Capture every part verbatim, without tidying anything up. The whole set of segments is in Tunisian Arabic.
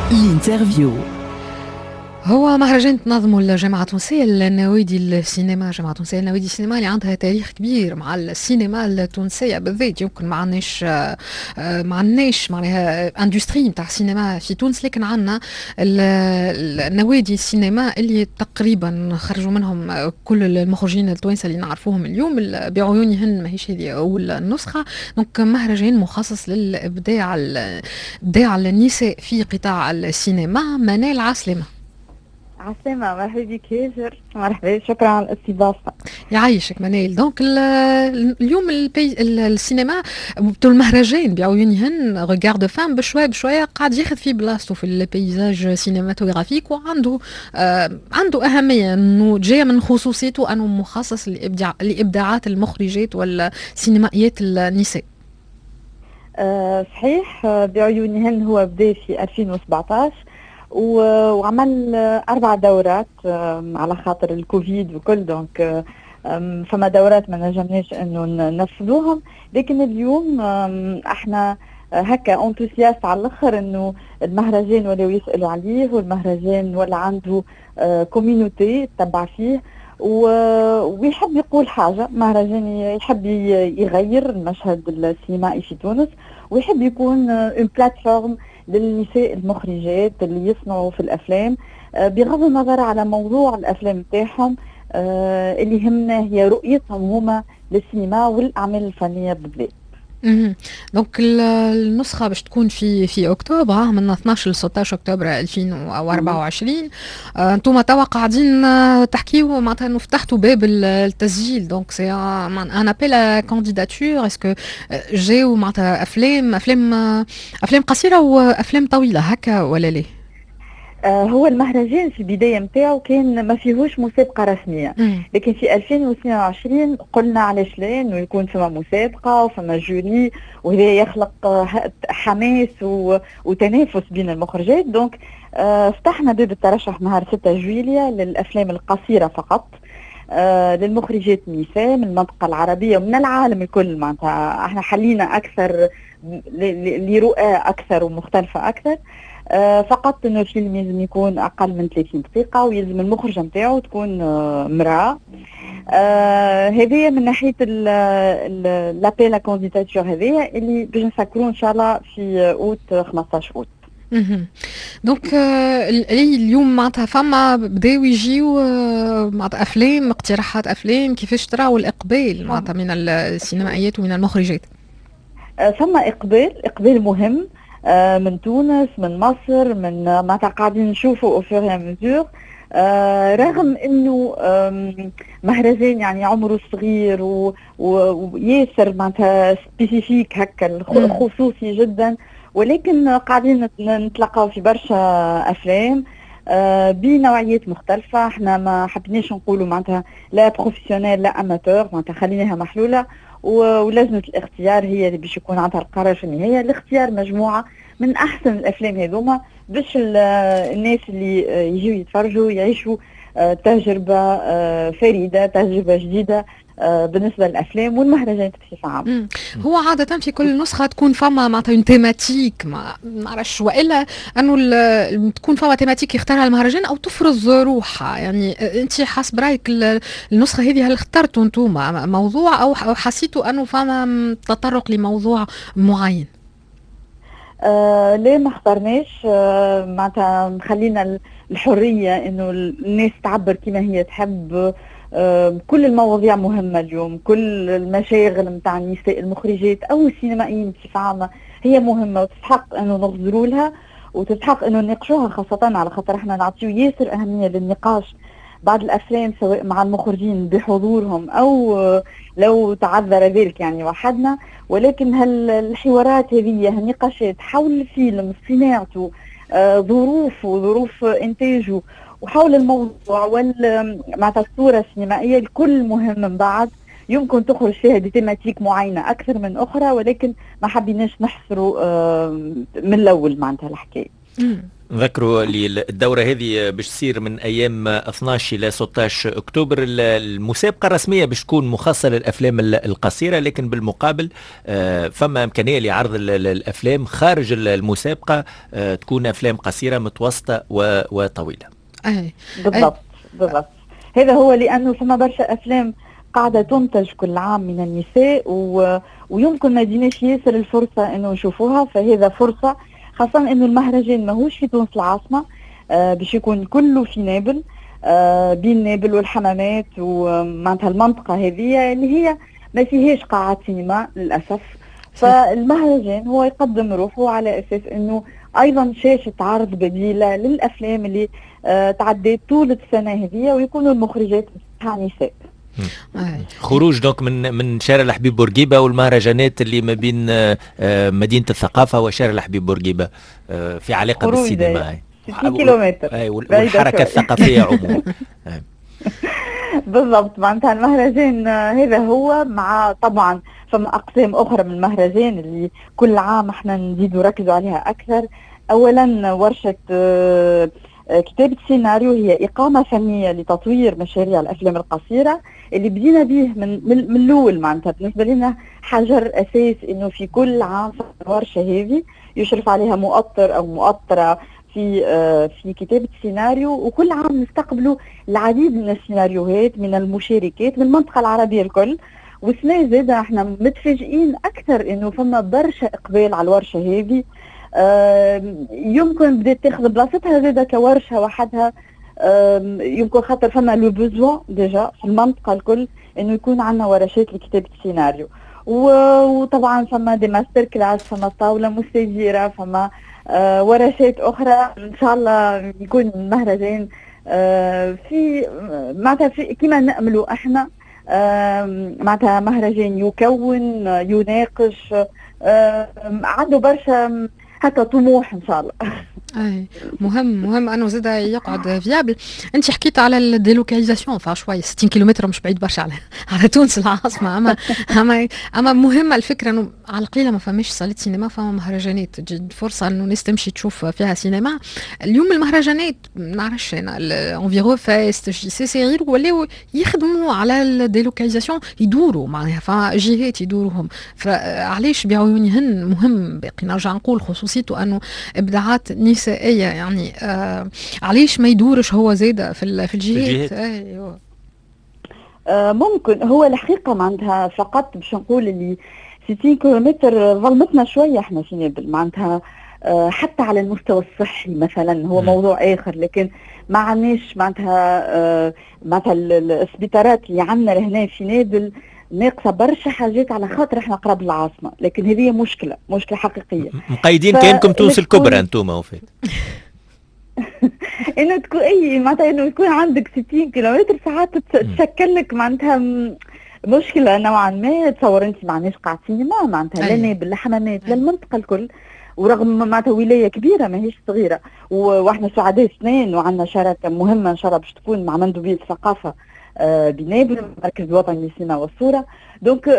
L'interview. هو مهرجان تنظمه الجامعة التونسية للنوادي السينما، الجامعة التونسية لنوادي السينما اللي عندها تاريخ كبير مع السينما التونسية بالذات. يمكن ما عندناش ما عندناش معناها industrie نتاع السينما في تونس، لكن عندنا النوادي السينما اللي تقريبا خرجوا منهم كل المخرجين التوانسة اللي نعرفوهم اليوم. بعيونهن ماهيش هذه أول نسخة، donc مهرجان مخصص للإبداع، إبداع النساء في قطاع السينما. منال، عسلامة. عسلامة، مرحبا بك هاجر، مرحبا، شكرا على الاستضافة. يعيشك منال. donc اليوم البي السينما، المهرجان بعيونهن regards de femmes بشوية بشوية قاعد ياخذ في بلاصته في ال paysage cinématographique، وعنده آه عنده أهمية انه جاية من خصوصيته انه مخصص لإبداع لإبداعات المخرجات والسينمائيات النساء. أه صحيح، بعيونهن هو بدا في ألفين وسبعطاش وعمل أربع دورات على خاطر الكوفيد وكل، donc فما دورات ما نجمناش انه ننفذوهم. لكن اليوم احنا هكا enthousiastes على الاخر انه المهرجان ولاو يسالوا عليه، والمهرجان ولا عنده communauté تتبع فيه ويحب يقول حاجه. مهرجان يحب يغير المشهد السينمائي في تونس ويحب يكون une plateforme للنساء المخرجات اللي يصنعوا في الافلام، آه، بغض النظر على موضوع الافلام تاعهم. آه، اللي يهمنا هي رؤيتهم هما للسينما والاعمال الفنية بالذات. donc النسخة باش تكون في في اكتوبر، من اثناش ل ستاش اكتوبر ألفين وأربعة وعشرين. آه، انتم توا قاعدين تحكيو معناتها انه فتحتوا باب التسجيل، donc c'est un appel à candidature. est-ce que جاو معناتها افلام افلام افلام قصيرة وافلام طويلة هكا ولا لا؟ آه، هو المهرجان في البداية نتاعو كان ما فيهوش مسابقة رسميه، لكن في ألفين واثنين وعشرين قلنا علاش لا انه يكون فما مسابقة وفما jury، وهذا يخلق حماس وتنافس بين المخرجات. donc آه، فتحنا باب الترشح نهار ستة جويليا للافلام القصيرة فقط، آه، للمخرجات النساء من المنطقة العربية ومن العالم الكل. معناتها احنا حلينا اكثر لرؤى اكثر ومختلفة اكثر. آه، فقط انه الفيلم لازم يكون اقل من ثلاثين دقيقة ويلزم المخرجة نتاعو تكون آه، امراه. آه هذه من ناحية l'appel à candidature، هذه اللي باش نسكروا ان شاء الله في اوت، خمسطاش اوت. donc اليوم معناتها فما بداو يجيو معناتها افلام، اقتراحات افلام. كيفاش تراو الاقبال معناتها من السينمائيات ومن المخرجات؟ فما اقبال، اقبال مهم آه، من تونس، من مصر، من معناتها قاعدين نشوفوا au fur et à mesure، رغم انه مهرجان يعني عمره صغير وياسر معناتها spécifique هكا، خصوصي جدا، ولكن قاعدين نتلقاو في برشا افلام آه، بنوعيات مختلفة. احنا ما حبيناش نقولوا معناتها لا professionnel لا amateur، معناتها خليناها محلولة، ولجنة الاختيار هي اللي باش يكون عندها القرار في النهاية لاختيار مجموعة من أحسن الأفلام هذوما، باش الناس اللي يجيو يتفرجوا يعيشوا آه، تجربة آه، فريدة، تجربة جديدة آه، بالنسبة للافلام والمهرجانات بصفة عامه. هو عادة في كل نسخه تكون فما معناتها une thématique، ما نعرفش، والا انه تكون فما thématique يختارها المهرجان او تفرض روحها. يعني انت حسب رايك النسخة هذه هل اخترتوا انتم موضوع او حسيتوا انه فما تطرق لموضوع معين؟ آه ليه، ما اخترناش. آه معناتها خلينا الحرية انه الناس تعبر كما هي تحب. آه كل المواضيع مهمة اليوم، كل المشاغل نتاع النساء المخرجات او السينمائيين بصفة عامة هي مهمة وتستحق انه نغزروا لها وتستحق انه نناقشوها، خاصة على خاطر احنا نعطيو ياسر اهمية للنقاش بعد الافلام، سواء مع المخرجين بحضورهم او لو تعذر ذلك يعني وحدنا. ولكن هل الحوارات هذه، النقاشات حول الفيلم، صناعته، آه، ظروفه، ظروف انتاجه، وحول الموضوع وال معناتها الصورة السينمائيه، الكل مهم. من بعد يمكن تخرج فيها des thématiques معينة اكثر من اخرى، ولكن ما حبيناش نحصروا آه، من الاول معناتها الحكايه. نذكروا اللي الدورة هذه باش تصير من أيام اثناش إلى ستة عشر أكتوبر. المسابقة الرسمية باش تكون مخصصة للأفلام القصيرة، لكن بالمقابل آه، فما إمكانية لعرض الأفلام خارج المسابقة، آه، تكون أفلام قصيرة، متوسطة وطويلة. أي. بالضبط بالضبط، هذا هو، لأنه فما برشا أفلام قاعدة تنتج كل عام من النساء و... ويمكن ما جيناش ياسر الفرصة انه نشوفوها، فهذا فرصة، خاصة انه المهرجان ماهوش في تونس العاصمة، آه باش يكون كله في نابل، آه بين نابل والحمامات، ومعناتها المنطقة هذه اللي هي ما فيهاش قاعات سينما للأسف. فالمهرجان هو يقدم روحه على أساس أنه أيضا شاشة عرض بديلة للأفلام اللي آه تعديت طول السنة هذه ويكونوا المخرجات نساء. خروج donc من من شارع الحبيب بورقيبة والمهرجانات اللي ما بين آه، مدينة الثقافة وشارع الحبيب بورقيبة آه، في علاقة بالسينما. ستين كيلومتر. والحركة الثقافية عموما. بالضبط، معناتها المهرجان هذا هو، مع طبعا فما اقسام اخرى من المهرجان اللي كل عام احنا نزيدوا نركزوا عليها اكثر. اولا ورشه آه، كتابة سيناريو، هي إقامة فنية لتطوير مشاريع الأفلام القصيرة اللي بدينا به من من, من الأول. معناتها بالنسبة لنا حجر أساس إنه في كل عام الورشة هذه يشرف عليها مؤطر أو مؤطرة في آه، في كتابة سيناريو، وكل عام نستقبلوا العديد من السيناريوهات من المشاركات من المنطقة العربية الكل. والسنة زادة احنا متفاجئين أكثر إنه فما برشا إقبال على الورشة هذه، يمكن بدات تاخذ بلاصتها زاده كورشه وحدها، يمكن خاطر فما le besoin déjà في المنطقة الكل انه يكون عندنا ورشات لكتابه السيناريو. وطبعا فما des master class، فما طاولة مستديره، فما آه، ورشات اخرى. ان شاء الله يكون مهرجان آه، في معناتها في كما ناملوا احنا، معناتها مهرجان يكون، يناقش، عنده برشا هكا طموح ان شاء الله. اي، مهم مهم انه زاد يقعد viable. انت حكيت على ال délocalisation، فشوي ستين كيلومتر مش بعيد برشا على على تونس العاصمه، اما اما اما مهمة الفكرة انه على القليلة ما فماش صالة سينما، فما مهرجانات تجي فرصة انه الناس تمشي تشوف فيها سينما. اليوم المهرجانات، ما نعرفش انا، Enviro Fest، JCC، غير ولاو يخدموا على ال délocalisation، يدوروا معناها فجهات يدوروهم. فعلاش بعيونهن مهم؟ باقي نرجع نقول خصوصيته انه ابداعات نسائيه، يعني آه علاش ما يدورش هو زاده في في الجهات؟ الجهات. ايوه. آه ممكن هو الحقيقة معناتها فقط باش نقول اللي ستين كيلومتر ظلمتنا شوية احنا في نابل، معناتها آه حتى على المستوى الصحي مثلا هو موضوع اخر، لكن ما عندناش معناتها آه معناتها السبيطارات اللي عندنا لهنا في نابل ناقصه برشا حاجات على خاطر احنا قراب العاصمه، لكن هذه مشكله مشكله حقيقيه. مقيدين كانكم تونس الكبرى انتم وفات. انه تكون اي معناتها انه يكون عندك ستين كيلومتر ساعات تشكل لك معناتها مشكلة نوعا ما. تصور انت ما عندناش قاعة سينما معناتها لا نابل لا حمامات لا المنطقة الكل، ورغم معناتها ولاية كبيرة ماهيش صغيره. واحنا سعداء اثنين وعندنا شراكة مهمة ان شاء الله باش تكون مع مندوبيه الثقافة آه، بنابل، المركز الوطني للسينما والصوره. donc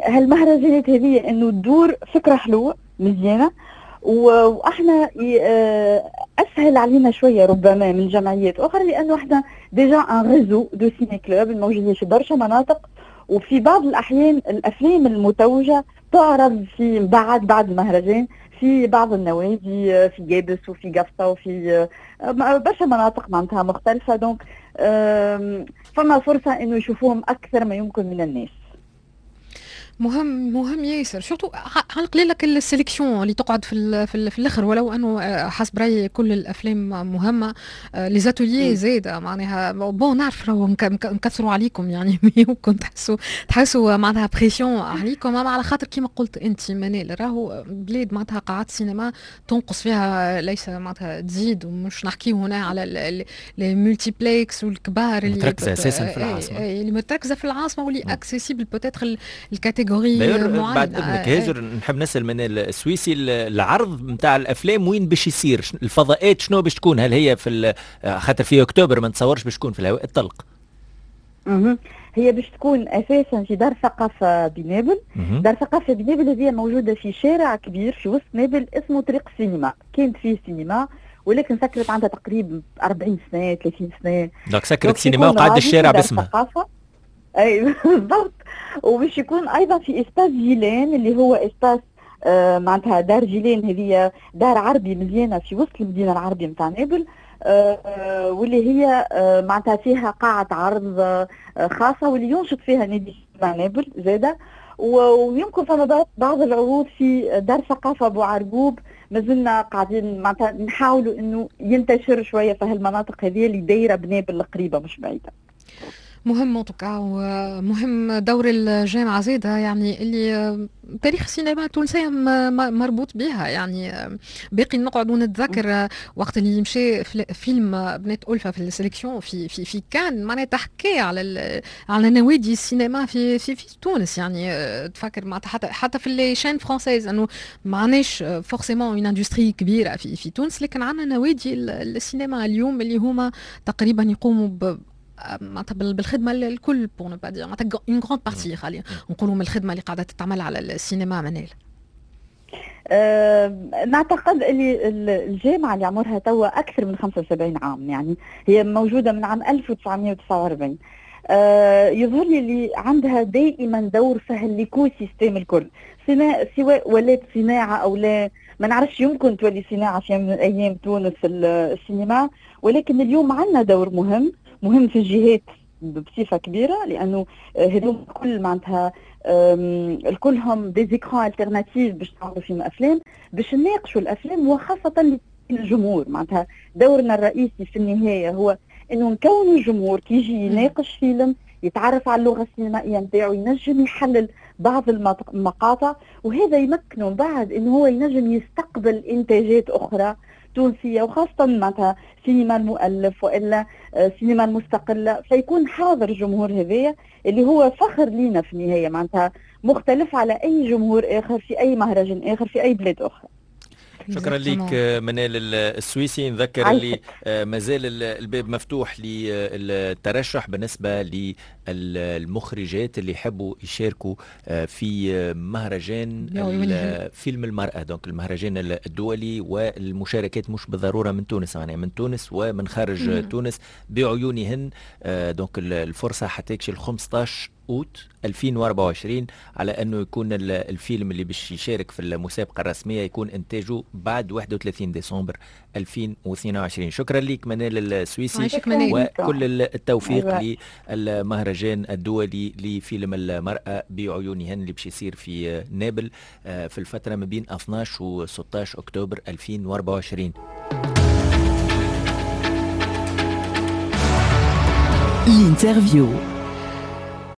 هالمهرجانات هذه انه تدور فكرة حلوة مزيانه، واحنا آه، اسهل علينا شوية ربما من جمعيات اخرى لانه احنا déjà un réseau de ciné-clubs الموجودين في برشا مناطق، وفي بعض الاحيان الافلام المتوجه تعرض في بعد بعد المهرجان في بعض النوادي في قابس وفي قفصه وفي آه، برشا مناطق معناتها مختلفه. donc فما فرصة انه يشوفوهم اكثر ما يمكن من الناس. مهم مهم ياسر، surtout على القليل لك ال sélection اللي تقعد في ال في, ال في الاخر، ولو انه آه، حسب رايي كل الافلام مهمه. les ateliers زاده معناها، bon نعرف راهو نكثروا عليكم، يعني يمكن تحسوا تحسوا معناها pression عليكم، اما على خاطر كيما قلت انت منال راهو بلاد معناتها قاعات سينما تنقص فيها ليس معناتها تزيد، ومش نحكيو هنا على les multiplexes والكبار اللي متركزه اساسا في العاصمه. اللي متركزه في العاصمة واللي accessible peut-être ال catégorie. بعد اذنك هاجر، نحب نسال من السويسي، العرض نتاع الافلام وين باش يصير؟ الفضاءات شنو باش تكون؟ هل هي في خاطر في اكتوبر ما نتصورش باش تكون في الهواء الطلق. هي باش تكون اساسا في دار ثقافة بنابل. دار ثقافة بنابل هي موجودة في شارع كبير في وسط نابل اسمه طريق السينما، كانت فيه سينما ولكن سكرت عندها تقريبا أربعين سنة ثلاثين سنة. donc سكرت سينما وقعد الشارع باسمها. اي بالضبط. وباش يكون ايضا في espace جيلان اللي هو espace آه معناتها دار جيلان، هذه دار عربي مزيانه في وسط المدينة العربية نتاع نابل، آه واللي هي آه معناتها فيها قاعة عرض آه خاصة واللي ينشط فيها نادي نابل زاده. ويمكن فما بعض العروض في دار ثقافة بوعرقوب، مازلنا قاعدين معناتها نحاولوا انه ينتشر شوية في هالمناطق هذه اللي دايرة بنابل القريبة مش بعيدة. مهم en tout cas، ومهم دور الجامعة زادة، يعني اللي تاريخ السينما التونسية مربوط بها. يعني باقي نقعد ونتذكر وقت اللي مشى فيلم بنات ألفة في ال sélection في في في كان معناها تحكي على على نوادي السينما في في في تونس. يعني تفكر معناتها حتى حتى في les chaînes françaises انه ما عندناش forcément une industrie كبيرة في في تونس، لكن عندنا نوادي السينما اليوم اللي هما تقريبا يقوموا ب معناتها بالخدمة الكل، pour ne pas dire معناتها une grande partie، خلينا نقولوا من الخدمة اللي قاعدة تتعمل على السينما. منال، أه نعتقد اللي الجامعة اللي عمرها توا اكثر من خمسة وسبعين عام، يعني هي موجودة من عام ألف وتسعمئة وتسعة وأربعين. أه يظهر لي اللي عندها دائما دور في هال écosystème الكل، سواء ولات صناعة او لا، ما نعرفش، يمكن تولي صناعة في يوم من الايام تونس السينما، ولكن اليوم عندنا دور مهم مهم في الجهات بصفة كبيرة، لانه هذوم كل معناتها الكلهم des écrans alternatifs باش نعملوا فيهم افلام، باش نناقشوا الافلام، وخاصة للجمهور. معناتها دورنا الرئيسي في النهاية هو انه نكونوا الجمهور كي يجي يناقش فيلم، يتعرف على اللغة السينمائية نتاعو، ينجم يحلل بعض المقاطع، وهذا يمكنه بعد انه هو ينجم يستقبل انتاجات اخرى تونسية، وخاصة معناتها سينما المؤلف والا سينما المستقلة، فيكون حاضر الجمهور هذايا اللي هو فخر لينا في النهاية، معناتها مختلف على اي جمهور اخر في اي مهرجان اخر في اي بلاد اخرى. شكرا لك منال السويسي. نذكر اللي مازال الباب مفتوح للترشح بالنسبة للمخرجات اللي يحبوا يشاركوا في مهرجان فيلم المرأة، donc المهرجان الدولي، والمشاركات مش بالضرورة من تونس، يعني من تونس ومن خارج مم. تونس بعيونهن. donc الفرصة حتى خمسطاش أوت ألفين وأربعة وعشرين على أنه يكون الفيلم اللي باش يشارك في المسابقة الرسمية يكون إنتاجه بعد واحد وثلاثين ديسمبر ألفين واثنين وعشرين. شكرا لك منال السويسي، وكل التوفيق أيوة. للمهرجان الدولي لفيلم المرأة بعيونهن اللي باش يصير في نابل في الفترة ما بين اثناش و ستاش أكتوبر ألفين وأربعة وعشرين. ال interview.